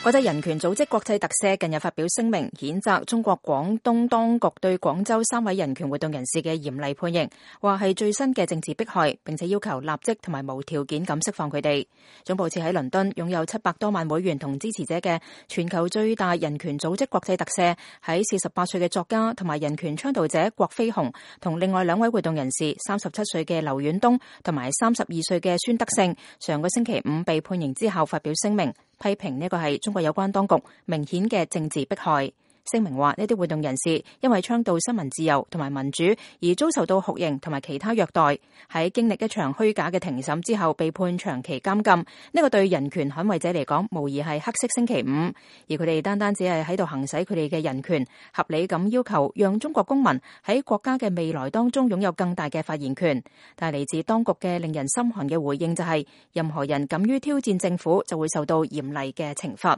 國際人權組織國際特赦近日發表聲明，譴責中國廣東當局對廣州3位人權活動人士嘅嚴厲判刑，話係最新嘅政治迫害，並且要求立即同埋無條件咁釋放佢哋。總部設喺倫敦，擁有700多萬會員同支持者嘅全球最大人權組織國際特赦，喺48歲嘅作家同埋人權倡導者郭飛雄同另外2位活動人士37歲嘅劉遠東同埋32歲嘅孫德勝，上個星期5被判刑之後發表聲明，批評呢個係中國有關當局明顯嘅政治迫害。聲明話呢啲活動人士因為倡導新聞自由同埋民主而遭受到酷刑同埋其他虐待，喺經歷一場虛假嘅庭審之後被判長期監禁。呢個對人權捍衛者嚟講無疑係黑色星期五，而佢哋單單只係喺度行使佢哋嘅人權，合理咁要求讓中國公民喺國家嘅未來當中擁有更大嘅發言權。但係嚟自當局嘅令人心寒嘅回應就係，任何人敢於挑戰政府就會受到嚴厲嘅懲罰。